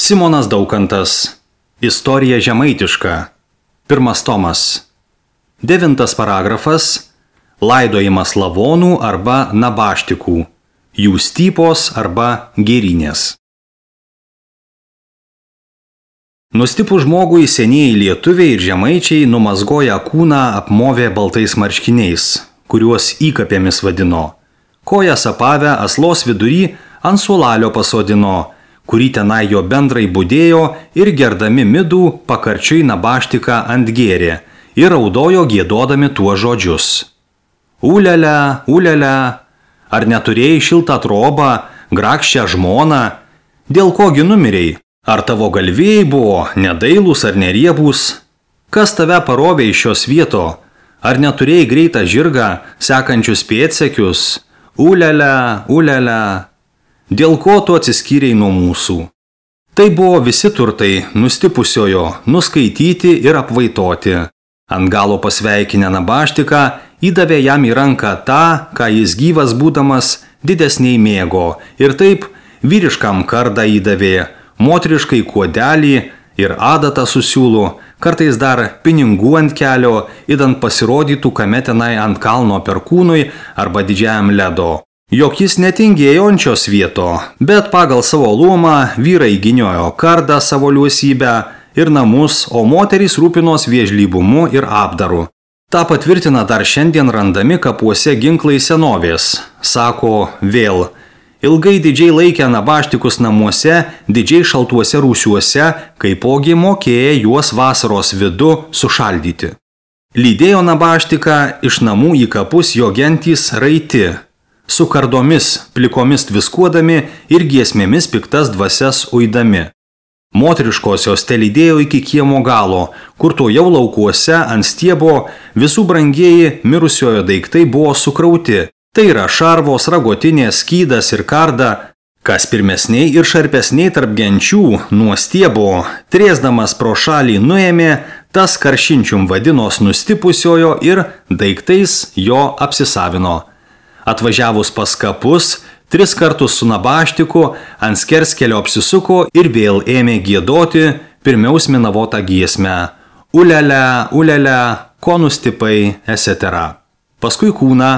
Simonas Daukantas. Istorija žemaitiška. 1 tomas. 9 paragrafas. Laidojimas lavonų arba nabaštikų. Jų stypos arba gėrinės. Nustipus žmogui senieji lietuviai ir žemaičiai numazgoja kūną apmovė baltais marškiniais, kuriuos įkapėmis vadino. Kojas apavę aslos vidury ant suolelio pasodino, kurį tenai jo bendrai budėjo ir gerdami midų pakarčiui nabaštiką ant gėrė ir raudojo giedodami tuo žodžius. Ulialia, ulialia, ar neturėjai šiltą trobą, grakščią žmoną, dėl kogi numirei? Ar tavo galvėjai buvo nedailūs ar neriebūs? Kas tave parovė iš šios vieto? Ar neturėjai greitą žirgą, sekančius pėdsekius? Ulialia, ulialia. Dėl ko tu atsiskyrei nuo mūsų? Tai buvo visi turtai nustipusiojo, nuskaityti ir apvaitoti. Ant galo pasveikinę nabaštiką įdavė jam į ranką tą, ką jis gyvas būdamas didesniai mėgo, ir taip vyriškam kardą įdavė, moteriškai kuodelį ir adatą su siūlu, kartais dar pinigų ant kelio, idant pasirodytų kame tenai ant kalno perkūnui arba didžiajam ledo. Jok jis netingėjo ant šios vieto, bet pagal savo luomą vyrai gyniojo kardą savo liuosybę ir namus, o moterys rūpinos viežlybumu ir apdaru. Ta patvirtina dar šiandien randami kapuose ginklai senovės. Sako vėl, ilgai didžiai laikė nabaštikus namuose, didžiai šaltuose rūsiuose, kaipogi mokėję juos vasaros vidu sušaldyti. Lydėjo nabaštiką iš namų į kapus jo gentys raiti, su kardomis, plikomis tviskuodami ir giesmėmis piktas dvasias uidami. Moteriškosios telydėjo iki kiemo galo, kur to jau laukuose ant stiebo visų brangieji mirusiojo daiktai buvo sukrauti. Tai yra šarvos, ragotinės, skydas ir karda, kas pirmesniai ir šarpesniai tarp genčių nuo stiebo, trėsdamas pro šalį nuėmė, tas karšinčium vadinos nustipusiojo ir daiktais jo apsisavino. Atvažiavus pas kapus, 3 kartus su nabaštiku ant skerskelio apsisuko ir vėl ėmė giedoti pirmiaus minavotą giesmę. Ulialia, ulialia, ko nustipai, etc. Paskui kūną,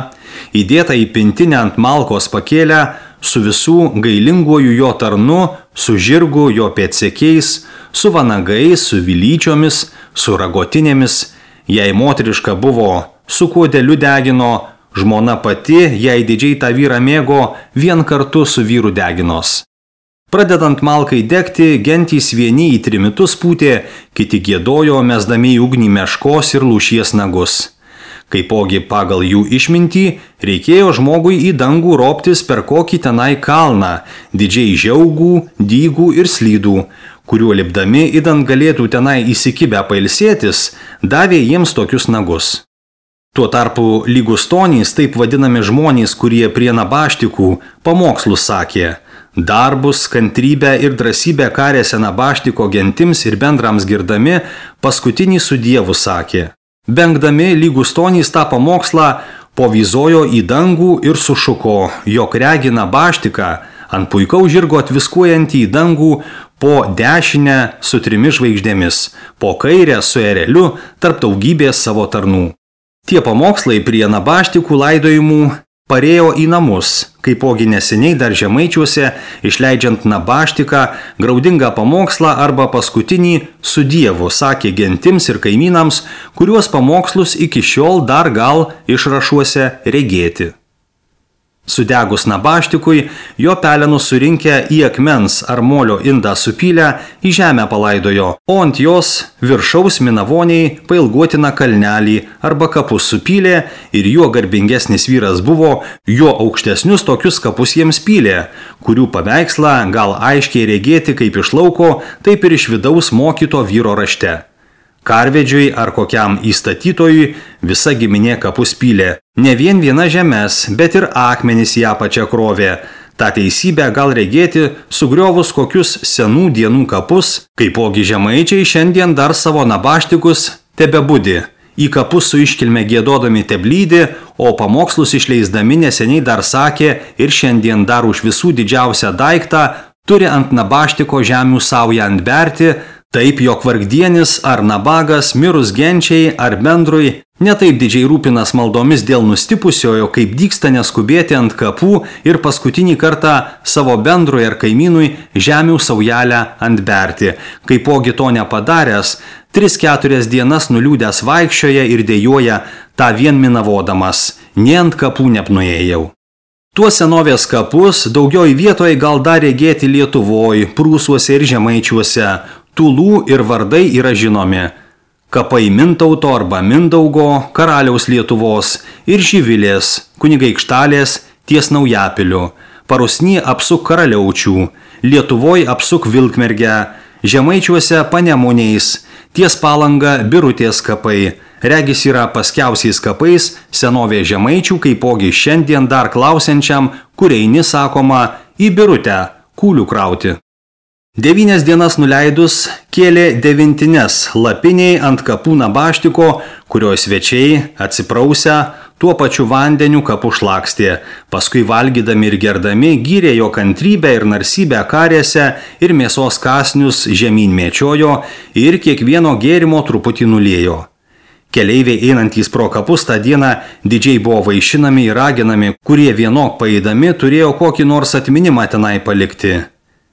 įdėtą į pintinę ant malkos pakėlę, su visų gailinguoju jo tarnu, su žirgu jo pėdsekiais, su vanagais, su vilyčiomis, su ragotinėmis, jei moteriška buvo, su kuodeliu degino, žmona pati, jei didžiai tą vyrą mėgo, vien kartu su vyru deginos. Pradedant malkai degti, gentys vieni į trimitus pūtė, kiti giedojo, mesdami į ugnį meškos ir lūšies nagus. Kaipogi pagal jų išmintį, reikėjo žmogui į dangų roptis per kokį tenai kalną, didžiai žiaugų, dygų ir slydų, kuriuo lipdami idant galėtų tenai įsikibę pailsėtis, davė jiems tokius nagus. Tuo tarpu lygustonys, taip vadinami žmonės, kurie prie nabaštikų pamokslus sakė, darbus, kantrybę ir drąsybę karėse nabaštiko gentims ir bendrams girdami, paskutinį su Dievu sakė. Bengdami lygustonys tą pamokslą povyzojo į dangų ir sušuko, jog regi nabaštiką ant puikaus žirgo atviskuojantį į dangų po dešinę su 3 žvaigždėmis, po kairę su ereliu tarp daugybės savo tarnų. Tie pamokslai prie nabaštikų laidojimų parėjo į namus, kaipogi neseniai dar žemaičiuose, išleidžiant nabaštiką, graudingą pamokslą arba paskutinį su Dievu, sakė gentims ir kaimynams, kuriuos pamokslus iki šiol dar gal išrašuose regėti. Sudegus nabaštikui, jo pelenus surinkę į akmens ar molio indą supylę, į žemę palaidojo, o ant jos viršaus minavoniai pailgotina kalnelį arba kapus supylė ir juo garbingesnis vyras buvo, juo aukštesnius tokius kapus jiems pylė, kurių paveikslą gal aiškiai regėti kaip iš lauko, taip ir iš vidaus mokyto vyro rašte. Karvedžiui ar kokiam įstatytojui visa giminė kapus pylė. Ne vien viena žemes, bet ir akmenys ją pačią krovė. Ta teisybė gal regėti sugriovus kokius senų dienų kapus, kaipogi žemaičiai šiandien dar savo nabaštikus tebebudi. Į kapus su iškilme giedodami teblydi, o pamokslus išleisdami neseniai dar sakė ir šiandien dar už visų didžiausią daiktą turi ant nabaštiko žemių saują antberti, taip jog vargdienis ar nabagas mirus genčiai ar bendrui netaip didžiai rūpinas maldomis dėl nustipusiojo, kaip dyksta neskubėti ant kapų ir paskutinį kartą savo bendrui ar kaimynui žemių saujelę antberti. Kaipogi to nepadaręs, 3-4 dienas nuliūdęs vaikščioja ir dejuoja tą vien minavodamas, ne ant kapų nepnuėjau. Tuos senovės kapus daugioj vietoje gal dar regėti Lietuvoj, Prūsuose ir Žemaičiuose. Tūlų ir vardai yra žinomi. Kapai Mintauto arba Mindaugo, karaliaus Lietuvos ir Živilės, kunigaikštelės ties Naujapiliu. Parusny apsuk Karaliaučių, Lietuvoj apsuk Vilkmergę, Žemaičiuose Panemunės, ties Palanga Birutės kapai. Regis yra paskiausiais kapais senovė Žemaičių, kaipogi šiandien dar klausiančiam, kur eini sakoma į Birutę, kūlių krauti. 9 dienas nuleidus kėlė 9 lapiniai ant kapų nabaštiko, kurio svečiai atsiprausę tuo pačiu vandeniu kapų šlakstė. Paskui valgydami ir gerdami gyrė jo kantrybę ir narsybę karėse ir mėsos kasnius žemyn mėčiojo ir kiekvieno gėrimo truputį nuliejo. Keleiviai einantys pro kapus tą dieną didžiai buvo vaišinami ir raginami, kurie vienok paeidami turėjo kokį nors atminimą tenai palikti.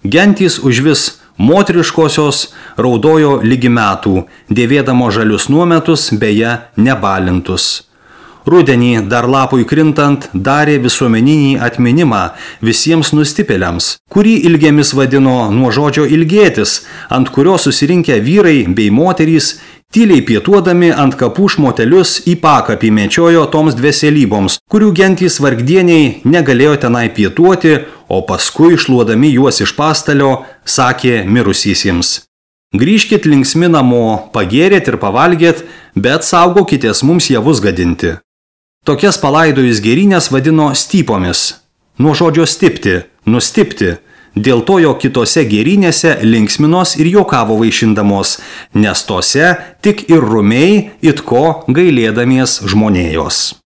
Gentys užvis moteriškosios raudojo lygi metų, dėvėdamo žalius nuometus, beje nebalintus. Rudenį dar lapui krintant darė visuomeninį atminimą visiems nustipėliams, kurį ilgėmis vadino nuo žodžio ilgėtis, ant kurio susirinkę vyrai bei moterys tyliai pietuodami ant kapų šmotelius į pakapį mėčiojo toms dveselyboms, kurių gentys vargdieniai negalėjo tenai pietuoti, o paskui šluodami juos iš pastalio, sakė mirusysims. Grįžkit linksmi namo, pagėrėt ir pavalgėt, bet saugokitės mums javus gadinti. Tokias palaidojus gėrynės vadino stypomis. Nuo žodžio stipti, nustipti. Dėl to jo kitose gėrynėse linksminos ir juokavo vaišindamos, nes tose tik ir rumiai it ko gailėdamies žmonėjos.